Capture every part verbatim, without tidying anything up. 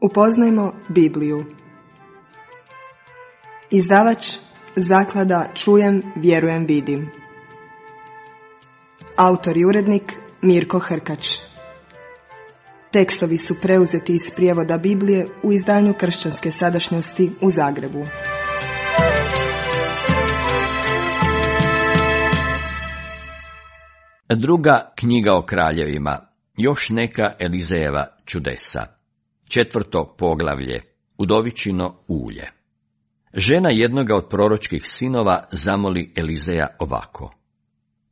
Upoznajmo Bibliju. Izdavač Zaklada Čujem, vjerujem, vidim. Autor i urednik Mirko Hrkač. Tekstovi su preuzeti iz prijevoda Biblije u izdanju Kršćanske sadašnjosti u Zagrebu. Druga knjiga o kraljevima, još neka Elizejeva čudesa. Četvrto poglavlje, udovičino ulje. Žena jednoga od proročkih sinova zamoli Elizeja ovako: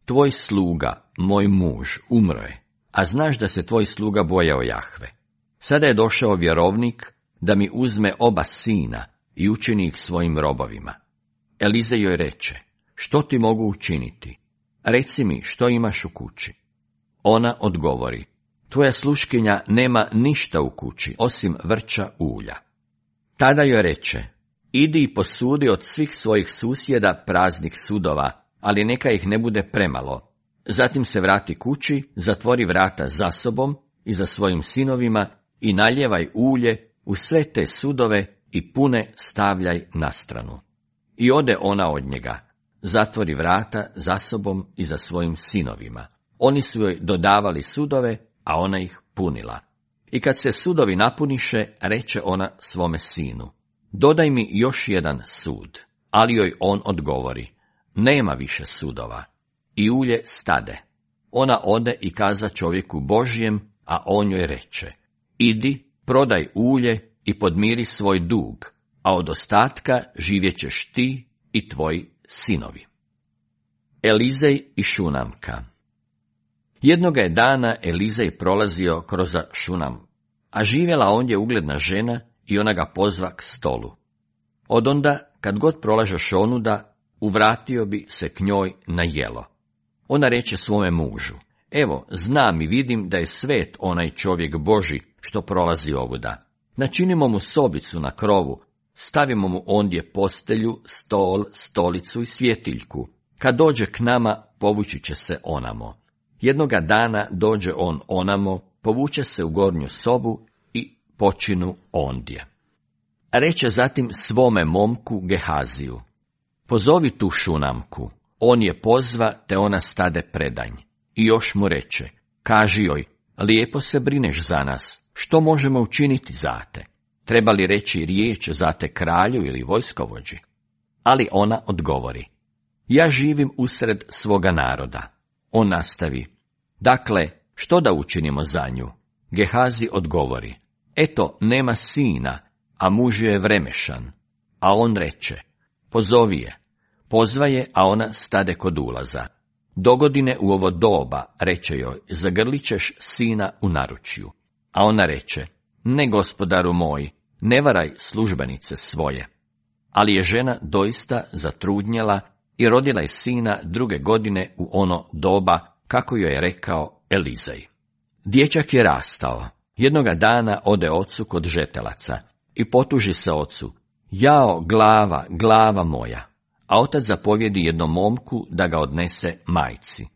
Tvoj sluga, moj muž, umro je, a znaš da se tvoj sluga bojao Jahve. Sada je došao vjerovnik da mi uzme oba sina i učini ih svojim robovima. Elizej joj reče: Što ti mogu učiniti? Reci mi što imaš u kući. Ona odgovori: Tvoja sluškinja nema ništa u kući, osim vrča ulja. Tada joj reče: Idi i posudi od svih svojih susjeda praznih sudova, ali neka ih ne bude premalo. Zatim se vrati kući, zatvori vrata za sobom i za svojim sinovima i naljevaj ulje u sve te sudove i pune stavljaj na stranu. I ode ona od njega, zatvori vrata za sobom i za svojim sinovima. Oni su joj dodavali sudove, a ona ih punila. I kad se sudovi napuniše, reče ona svome sinu: Dodaj mi još jedan sud. Ali joj on odgovori: Nema više sudova. I ulje stade. Ona ode i kaza čovjeku Božjem, a on joj reče: Idi, prodaj ulje i podmiri svoj dug, a od ostatka živjet ćeš ti i tvoji sinovi. Elizej i Šunamka. Jednoga je dana Elizej prolazio kroz Šunam, a živjela ondje ugledna žena i ona ga pozva k stolu. Odonda, kad god prolažeš onuda, uvratio bi se k njoj na jelo. Ona reče svome mužu: Evo, znam i vidim da je svet onaj čovjek Boži što prolazi ovuda. Načinimo mu sobicu na krovu, stavimo mu ondje postelju, stol, stolicu i svjetiljku. Kad dođe k nama, povući će se onamo. Jednoga dana dođe on onamo, povuče se u gornju sobu i počinu ondje. Reče zatim svome momku Gehaziju: Pozovi tu Šunamku. On je pozva, te ona stade predanj. I još mu reče: Kaži joj, lijepo se brineš za nas, što možemo učiniti za te? Treba li reći riječ za te kralju ili vojskovođi? Ali ona odgovori: Ja živim usred svoga naroda. On nastavi: Dakle, što da učinimo za nju? Gehazi odgovori: Eto, nema sina, a muž je vremešan. A on reče: Pozovi je. Pozva je, a ona stade kod ulaza. Dogodine u ovo doba, reče joj, zagrlit ćeš sina u naručju. A ona reče: Ne, gospodaru moj, ne varaj službenice svoje. Ali je žena doista zatrudnjela i rodila je sina druge godine u ono doba, kako joj je rekao Elizej. Dječak je rastao. Jednoga dana ode ocu kod žetelaca i potuži se ocu: Jao, glava, glava moja. A otac zapovjedi jednom momku da ga odnese majci.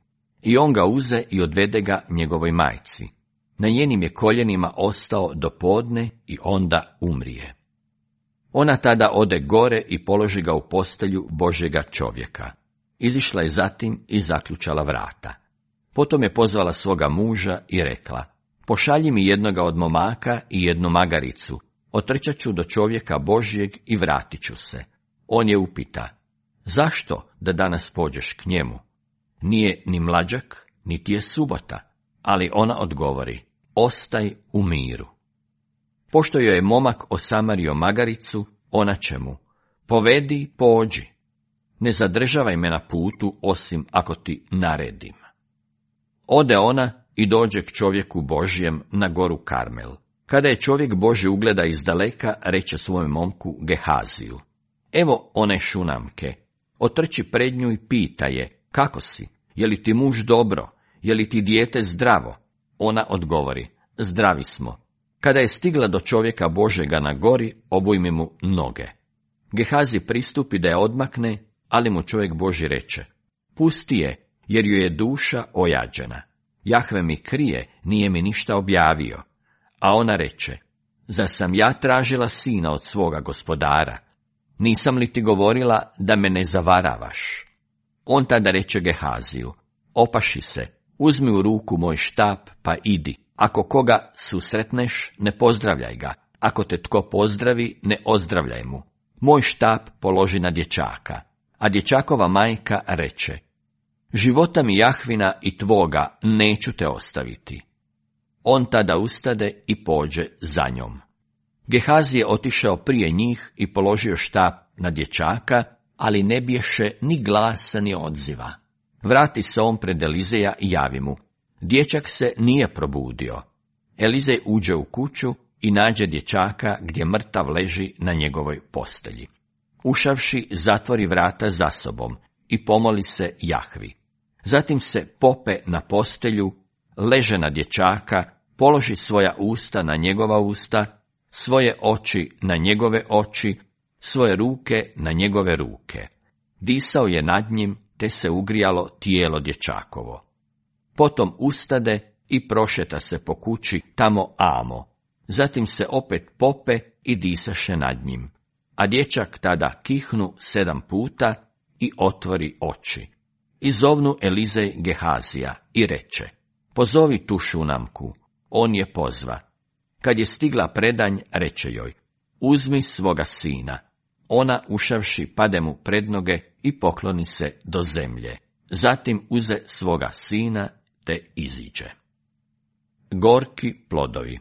I on ga uze i odvede ga njegovoj majci. Na njenim je koljenima ostao do podne i onda umrije. Ona tada ode gore i položi ga u postelju Božjega čovjeka. Izišla je zatim i zaključala vrata. Potom je pozvala svoga muža i rekla: Pošalji mi jednoga od momaka i jednu magaricu, otrčat ću do čovjeka Božjeg i vratit ću se. On je upita: Zašto da danas pođeš k njemu? Nije ni mlađak, niti je subota. Ali ona odgovori: Ostaj u miru. Pošto joj je momak osamario magaricu, ona će mu: Povedi, pođi. Ne zadržavaj me na putu, osim ako ti naredim. Ode ona i dođe k čovjeku Božjem na goru Karmel. Kada je čovjek Božji ugleda izdaleka, reče svojem momku Gehaziju: Evo one Šunamke. Otrči pred nju i pita je: Kako si? Je li ti muž dobro? Je li ti dijete zdravo? Ona odgovori: Zdravi smo. Kada je stigla do čovjeka Božjega na gori, obujmi mu noge. Gehazi pristupi da je odmakne, ali mu čovjek Božji reče: Pusti je, jer joj je duša ojađena. Jahve mi krije, nije mi ništa objavio. A ona reče: zar sam ja tražila sina od svoga gospodara? Nisam li ti govorila da me ne zavaravaš? On tada reče Gehaziju, opaši se, uzmi u ruku moj štap pa idi. Ako koga susretneš, ne pozdravljaj ga. Ako te tko pozdravi, ne ozdravljaj mu. Moj štap položi na dječaka. A dječakova majka reče, života mi Jahvina i tvoga neću te ostaviti. On tada ustade i pođe za njom. Gehazi je otišao prije njih i položio štap na dječaka, ali ne bješe ni glasa ni odziva. Vrati se on pred Elizeja i javi mu. Dječak se nije probudio. Elizej uđe u kuću i nađe dječaka gdje mrtav leži na njegovoj postelji. Ušavši, zatvori vrata za sobom i pomoli se Jahvi. Zatim se pope na postelju, leže na dječaka, položi svoja usta na njegova usta, svoje oči na njegove oči, svoje ruke na njegove ruke. Disao je nad njim, te se ugrijalo tijelo dječakovo. Potom ustade i prošeta se po kući tamo amo. Zatim se opet pope i disaše nad njim. A dječak tada kihnu sedam puta i otvori oči. I zovnu Elizej Gehazija i reče, pozovi tu Šunamku. On je pozva. Kad je stigla predanj, reče joj, uzmi svoga sina. Ona, ušavši, pade mu pred noge i pokloni se do zemlje. Zatim uze svoga sina te iziđe. Gorki plodovi.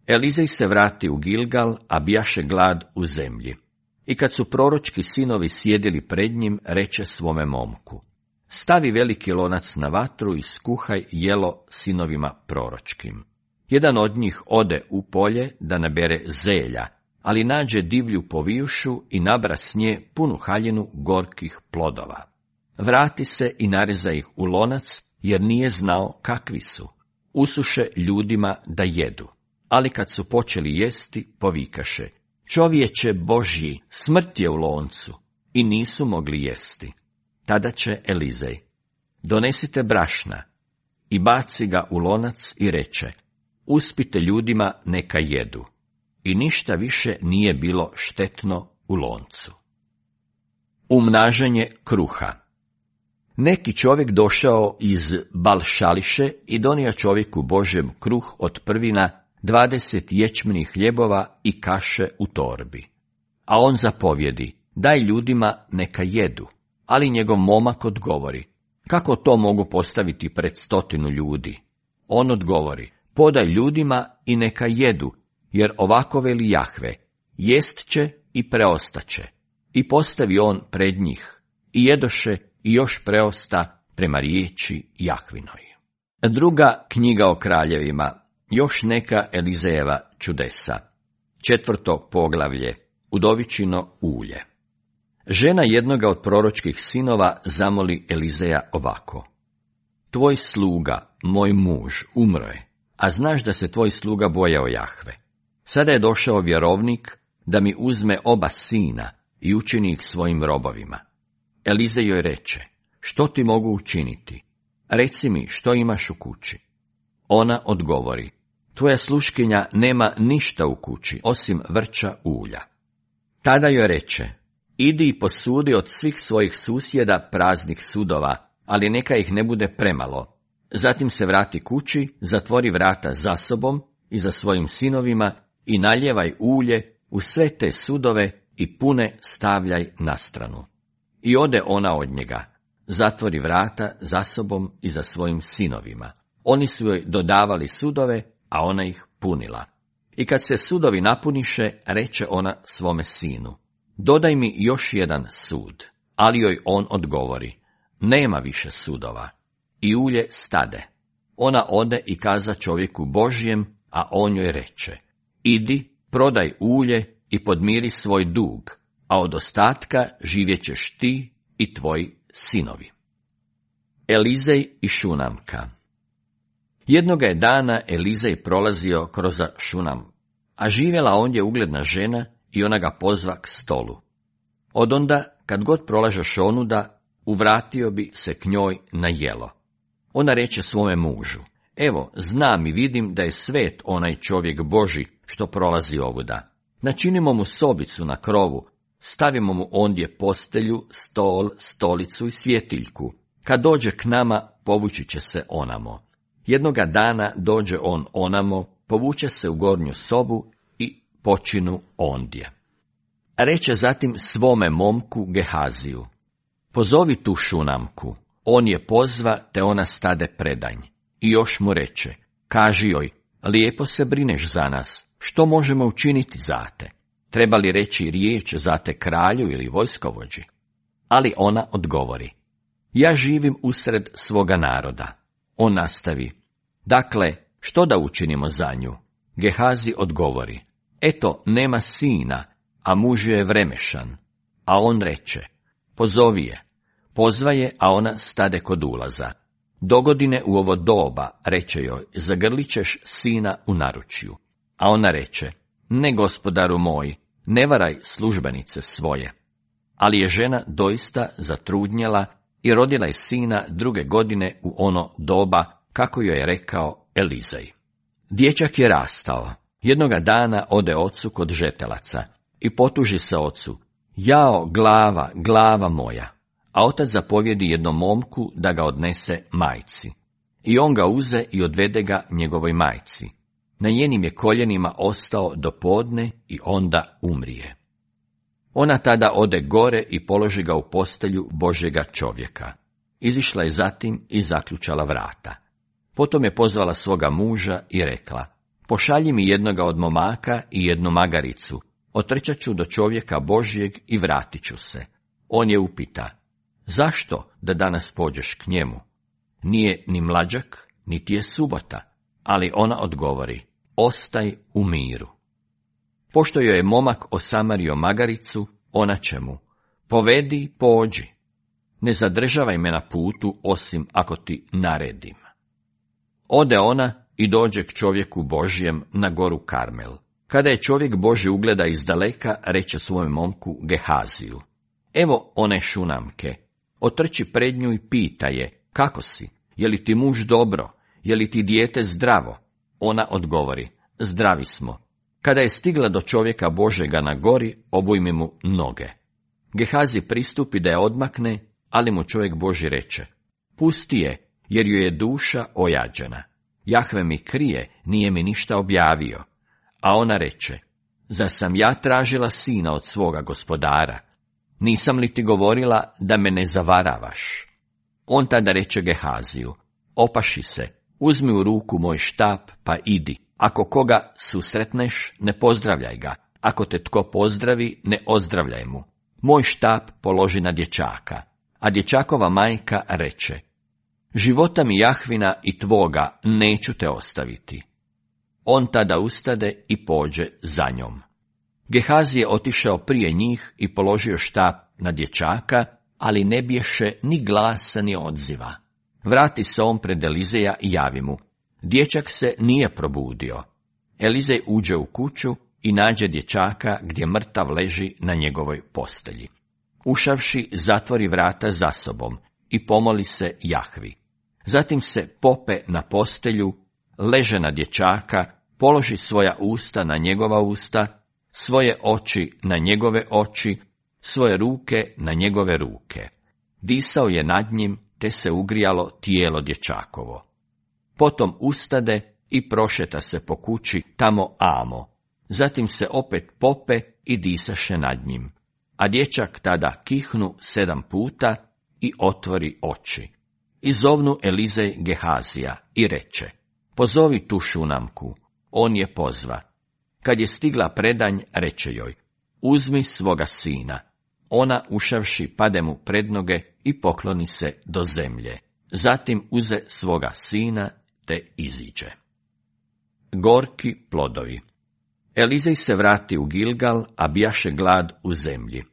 Elizej se vrati u Gilgal, a bijaše glad u zemlji. I kad su proročki sinovi sjedili pred njim, reče svome momku, stavi veliki lonac na vatru i skuhaj jelo sinovima proročkim. Jedan od njih ode u polje da nabere zelja, ali nađe divlju povijušu i nabra s nje punu haljinu gorkih plodova. Vrati se i nareza ih u lonac, jer nije znao kakvi su. Usuše ljudima da jedu. Ali kad su počeli jesti, povikaše, čovječe Božji, smrt je u loncu, i nisu mogli jesti. Tada će Elizej, donesite brašna, i baci ga u lonac i reče, uspite ljudima neka jedu. I ništa više nije bilo štetno u loncu. Umnažanje kruha. Neki čovjek došao iz Balšališe i donio čovjeku Božjem kruh od prvina, dvadeset ječmenih hljebova i kaše u torbi. A on zapovjedi, daj ljudima neka jedu. Ali njegov momak odgovori, kako to mogu postaviti pred stotinu ljudi? On odgovori, podaj ljudima i neka jedu, jer ovako veli Jahve, jest će i preostaće. I postavi on pred njih, i jedoše i još preosta prema riječi Jahvinoj. Druga knjiga o kraljevima, još neka Elizejeva čudesa. Četvrto poglavlje, udovičino ulje. Žena jednoga od proročkih sinova zamoli Elizeja ovako. Tvoj sluga, moj muž, umro je, a znaš da se tvoj sluga bojao Jahve. Sada je došao vjerovnik da mi uzme oba sina i učini ih svojim robovima. Elizej joj reče, što ti mogu učiniti? Reci mi što imaš u kući. Ona odgovori, tvoja sluškinja nema ništa u kući, osim vrča ulja. Tada joj reče, idi i posudi od svih svojih susjeda praznih sudova, ali neka ih ne bude premalo. Zatim se vrati kući, zatvori vrata za sobom i za svojim sinovima i naljevaj ulje u sve te sudove i pune stavljaj na stranu. I ode ona od njega, zatvori vrata za sobom i za svojim sinovima. Oni su joj dodavali sudove, a ona ih punila. I kad se sudovi napuniše, reče ona svome sinu, dodaj mi još jedan sud. Ali joj on odgovori, nema više sudova. I ulje stade. Ona ode i kaza čovjeku Božjem, a on joj reče, idi, prodaj ulje i podmiri svoj dug, a od ostatka živjet ćeš ti i tvoji sinovi. Elizej i Šunamka. Jednoga je dana Elizej prolazio kroz Šunam, a živjela ondje ugledna žena i ona ga pozva k stolu. Odonda, kad god prolažeš onuda, uvratio bi se k njoj na jelo. Ona reče svome mužu, evo, znam i vidim da je svet onaj čovjek Boži što prolazi ovuda. Načinimo mu sobicu na krovu, stavimo mu ondje postelju, stol, stolicu i svjetiljku. Kad dođe k nama, povući će se onamo. Jednoga dana dođe on onamo, povuče se u gornju sobu i počinu ondje. Reče zatim svome momku Gehaziju: pozovi tu Šunamku. On je pozva, te ona stade predanj. I još mu reče: kaži joj, lijepo se brineš za nas, što možemo učiniti za te? Treba li reći riječ za te kralju ili vojskovođi? Ali ona odgovori: ja živim usred svoga naroda. On nastavi: dakle, što da učinimo za nju? Gehazi odgovori: eto, nema sina, a muž je vremešan. A on reče: pozovi je. Pozva je, a ona stade kod ulaza. Dogodine u ovo doba, reče joj, zagrlit ćeš sina u naručju. A ona reče: ne, gospodaru moj, ne varaj službenice svoje. Ali je žena doista zatrudnjela i rodila je sina druge godine u ono doba, kako joj je rekao Elizej. Dječak je rastao. Jednoga dana ode ocu kod žetelaca i potuži se ocu: jao, glava, glava moja. A otac zapovjedi jednom momku da ga odnese majci. I on ga uze i odvede ga njegovoj majci. Na njenim je koljenima ostao do podne i onda umrije. Ona tada ode gore i položi ga u postelju Božjega čovjeka. Izišla je zatim i zaključala vrata. Potom je pozvala svoga muža i rekla: pošalji mi jednoga od momaka i jednu magaricu, otrčat ću do čovjeka Božjeg i vratit ću se. On je upita: zašto da danas pođeš k njemu? Nije ni mlađak, niti je subota. Ali ona odgovori: ostaj u miru. Pošto joj je momak osamario magaricu, ona će mu: povedi, pođi. Ne zadržavaj me na putu, osim ako ti naredim. Ode ona i dođe k čovjeku Božjem na goru Karmel. Kada je čovjek Božji ugleda izdaleka, reče svojem momku Gehaziju: evo one Šunamke, otrči pred nju i pita je: kako si? Je li ti muž dobro? Je li ti dijete zdravo? Ona odgovori: zdravi smo. Kada je stigla do čovjeka Božjega na gori, obujmi mu noge. Gehazi pristupi da je odmakne, ali mu čovjek Božji reče: pusti je, jer joj je duša ojađena. Jahve mi krije, nije mi ništa objavio. A ona reče: zar sam ja tražila sina od svoga gospodara? Nisam li ti govorila da me ne zavaravaš? On tada reče Gehaziju: opaši se, uzmi u ruku moj štap pa idi. Ako koga susretneš, ne pozdravljaj ga. Ako te tko pozdravi, ne ozdravljaj mu. Moj štap položi na dječaka. A dječakova majka reče: života mi Jahvina i tvoga neću te ostaviti. On tada ustade i pođe za njom. Gehazi je otišao prije njih i položio štap na dječaka, ali ne bješe ni glasa ni odziva. Vrati se on pred Elizeja i javi mu: dječak se nije probudio. Elizej uđe u kuću i nađe dječaka gdje mrtav leži na njegovoj postelji. Ušavši, zatvori vrata za sobom i pomoli se Jahvi. Zatim se pope na postelju, leže na dječaka, položi svoja usta na njegova usta, svoje oči na njegove oči, svoje ruke na njegove ruke. Disao je nad njim, te se ugrijalo tijelo dječakovo. Potom ustade i prošeta se po kući tamo amo. Zatim se opet pope i disaše nad njim. A dječak tada kihnu sedam puta i otvori oči. I zovnu Elizej Gehazija i reče: pozovi tu Šunamku. On je pozva. Kad je stigla predanj, reče joj: uzmi svoga sina. Ona, ušavši, pade mu pred noge i pokloni se do zemlje. Zatim uze svoga sina te iziđe. Gorki plodovi. Elizej se vrati u Gilgal, a bijaše glad u zemlji.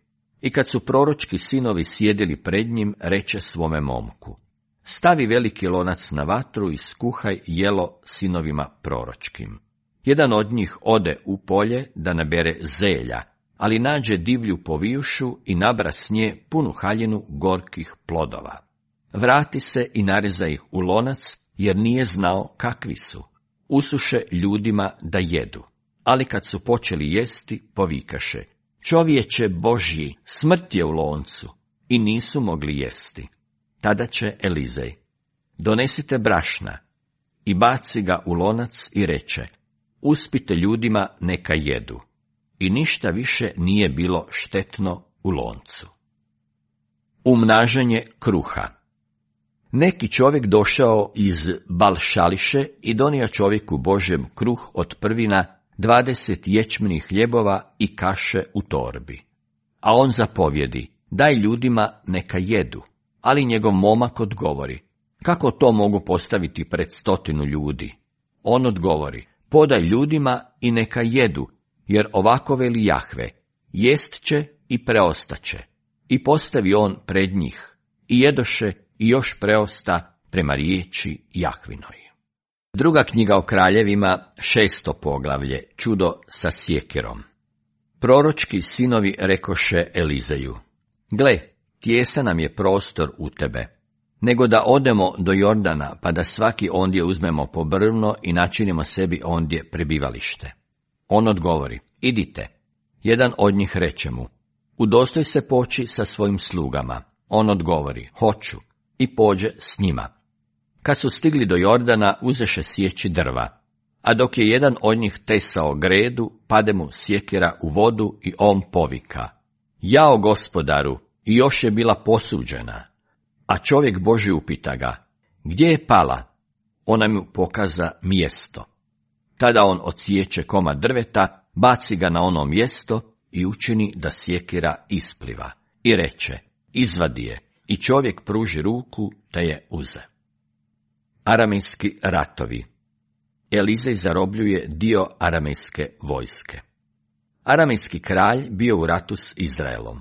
I kad su proročki sinovi sjedili pred njim, reče svome momku: stavi veliki lonac na vatru i skuhaj jelo sinovima proročkim. Jedan od njih ode u polje da nabere zelja, ali nađe divlju povijušu i nabra s nje punu haljinu gorkih plodova. Vrati se i nareza ih u lonac, jer nije znao kakvi su. Usuše ljudima da jedu. ali kad su počeli jesti, povikaše: čovječe Božji, smrt je u loncu, i nisu mogli jesti. Tada će Elizej: donesite brašna, i baci ga u lonac i reče: uspite ljudima neka jedu. I ništa više nije bilo štetno u loncu. Umnažanje kruha. Neki čovjek došao iz Balšališe i donio čovjeku Božjem kruh od prvina, dvadeset ječmenih hljebova i kaše u torbi. A on zapovjedi: daj ljudima neka jedu. Ali njegov momak odgovori: kako to mogu postaviti pred stotinu ljudi? On odgovori: podaj ljudima i neka jedu, jer ovako veli Jahve: jest će i preostaće. I postavi on pred njih, i jedoše i još preosta prema riječi Jahvinoj. Druga knjiga o kraljevima, šesto poglavlje, čudo sa sjekirom. Proročki sinovi rekoše Elizeju: gle, tijesan nam je prostor u tebe, nego da odemo do Jordana, pa da svaki ondje uzmemo po brvno i načinimo sebi ondje prebivalište. On odgovori: idite. Jedan od njih reče mu: udostoj se poći sa svojim slugama. On odgovori: hoću, i pođe s njima. Kad su stigli do Jordana, uzeše sjeći drva, a dok je jedan od njih tesao gredu, pade mu sjekira u vodu i on povika: jao gospodaru, i još je bila posuđena. A čovjek Božji upita ga: gdje je pala? Ona mu pokaza mjesto. Tada on odsječe komad drveta, baci ga na ono mjesto i učini da sjekira ispliva. I reče: izvadi je. I čovjek pruži ruku, te je uze. Aramejski ratovi. Elizej zarobljuje dio aramejske vojske. Aramejski kralj bio u ratu s Izraelom.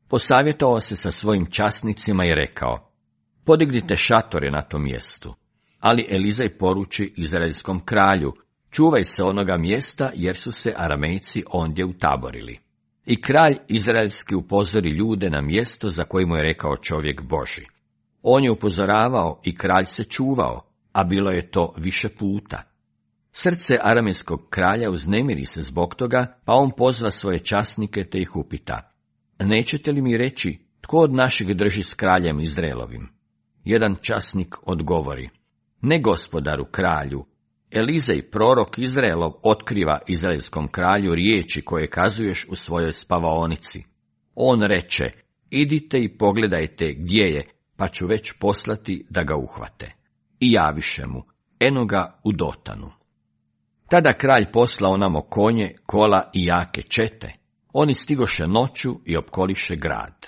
Posavjetovao se sa svojim časnicima i rekao: podignite šatore na tom mjestu. Ali Elizej poruči izraelskom kralju: čuvaj se onoga mjesta, jer su se Aramejci ondje utaborili. I kralj izraelski upozori ljude na mjesto za koje mu je rekao čovjek Božji. On je upozoravao i kralj se čuvao, a bilo je to više puta. Srce aramejskog kralja uznemiri se zbog toga, pa on pozva svoje časnike te ih upita: nećete li mi reći tko od naših drži s kraljem Izraelovim? Jedan časnik odgovori: ne gospodaru kralju, Elizej, prorok Izraelov, otkriva izraelskom kralju riječi koje kazuješ u svojoj spavaonici. On reče: idite i pogledajte gdje je, pa ću već poslati da ga uhvate. I javiše mu: eno ga u Dotanu. Tada kralj poslao namo konje, kola i jake čete. Oni stigoše noću i opkoliše grad.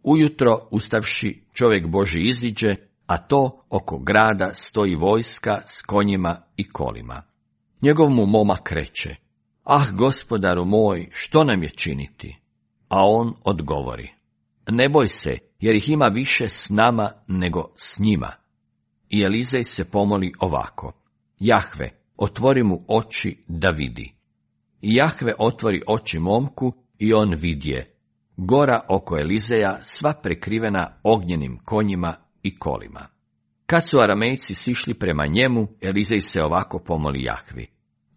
Ujutro, ustavši, čovjek Božji iziđe, a to oko grada stoji vojska s konjima i kolima. Njegov mu momak reče: ah, gospodaru moj, što nam je činiti? A on odgovori: ne boj se, jer ih ima više s nama nego s njima. I Elizej se pomoli ovako: Jahve, otvori mu oči da vidi. I Jahve otvori oči momku i on vidje: gora oko Elizeja sva prekrivena ognjenim konjima i kolima. Kad su Aramejci sišli prema njemu, Elizej se ovako pomoli Jahvi: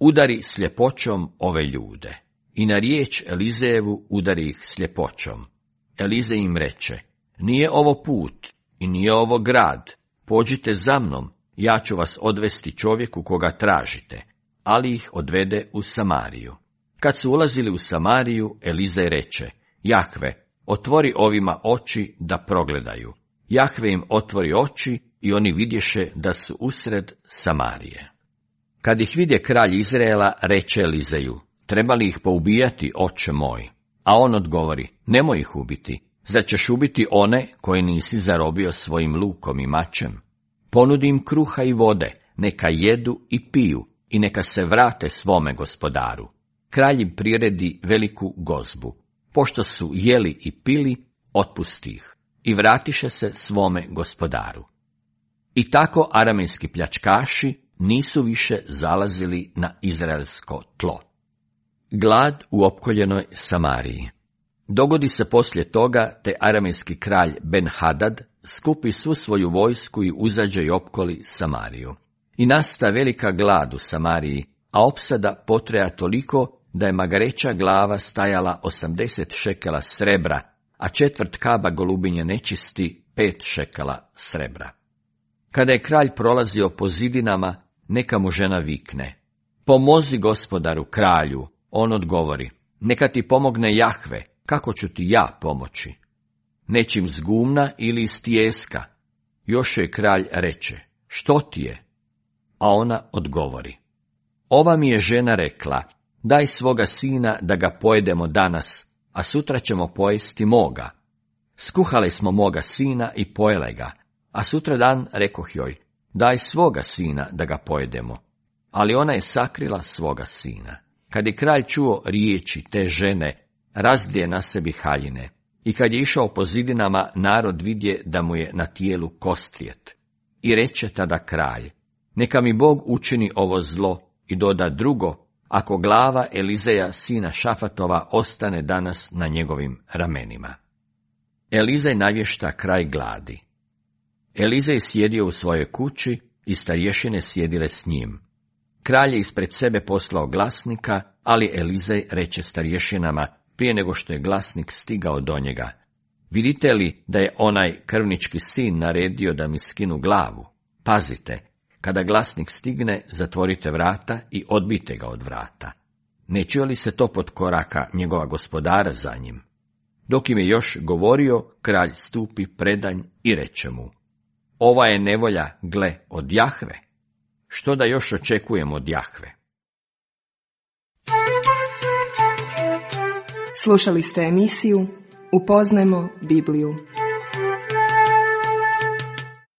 udari sljepoćom ove ljude. I na riječ Elizejevu udari ih sljepoćom. Elizej im reče: nije ovo put i nije ovo grad, pođite za mnom, ja ću vas odvesti čovjeku koga tražite. Ali ih odvede u Samariju. Kad su ulazili u Samariju, Elizej reče: Jahve, otvori ovima oči da progledaju. Jahve im otvori oči i oni vidješe da su usred Samarije. Kad ih vidje kralj Izraela, reče Elizeju: treba li ih poubijati, oče moj? A on odgovori: nemoj ih ubiti, zar ćeš ubiti one koje nisi zarobio svojim lukom i mačem? Ponudi im kruha i vode, neka jedu i piju i neka se vrate svome gospodaru. Kralj im priredi veliku gozbu. Pošto su jeli i pili, otpusti ih i vratiše se svome gospodaru. I tako aramejski pljačkaši nisu više zalazili na izraelsko tlo. Glad u opkoljenoj Samariji. Dogodi se poslije toga, te aramejski kralj Ben-Hadad skupi svu svoju vojsku i uzađe i opkoli Samariju. I nasta velika glad u Samariji, a opsada potreja toliko da je magareća glava stajala osamdeset šekela srebra, a četvrt kaba golubinje nečisti pet šekela srebra. Kada je kralj prolazio po zidinama, neka mu žena vikne: pomozi gospodaru kralju. On odgovori: neka ti pomogne Jahve, kako ću ti ja pomoći? Nečim z gumna ili iz tijeska? Još joj kralj reče: što ti je? A ona odgovori: ova mi je žena rekla, daj svoga sina da ga pojedemo danas, a sutra ćemo pojesti moga. Skuhali smo moga sina i pojele ga, a sutra dan rekoh joj, daj svoga sina da ga pojedemo. Ali ona je sakrila svoga sina. Kad je kralj čuo riječi te žene, razdje na sebi haljine, i kad je išao po zidinama, narod vidje da mu je na tijelu kostrijet. I reče tada kralj: neka mi Bog učini ovo zlo i doda drugo, ako glava Elizeja sina Šafatova ostane danas na njegovim ramenima. Elizej navješta kraj gladi. Elizej sjedio u svojoj kući i starješine sjedile s njim. Kralj je ispred sebe poslao glasnika, ali Elizej reče starješinama prije nego što je glasnik stigao do njega: vidite li da je onaj krvnički sin naredio da mi skinu glavu? Pazite, kada glasnik stigne, zatvorite vrata i odbijte ga od vrata. Ne čuje li se to pod koraka njegova gospodara za njim? Dok im je još govorio, kralj stupi predanj i reče mu: ova je nevolja, gle, od Jahve. Što da još očekujemo od Jahve? Slušali ste emisiju Upoznajmo Bibliju.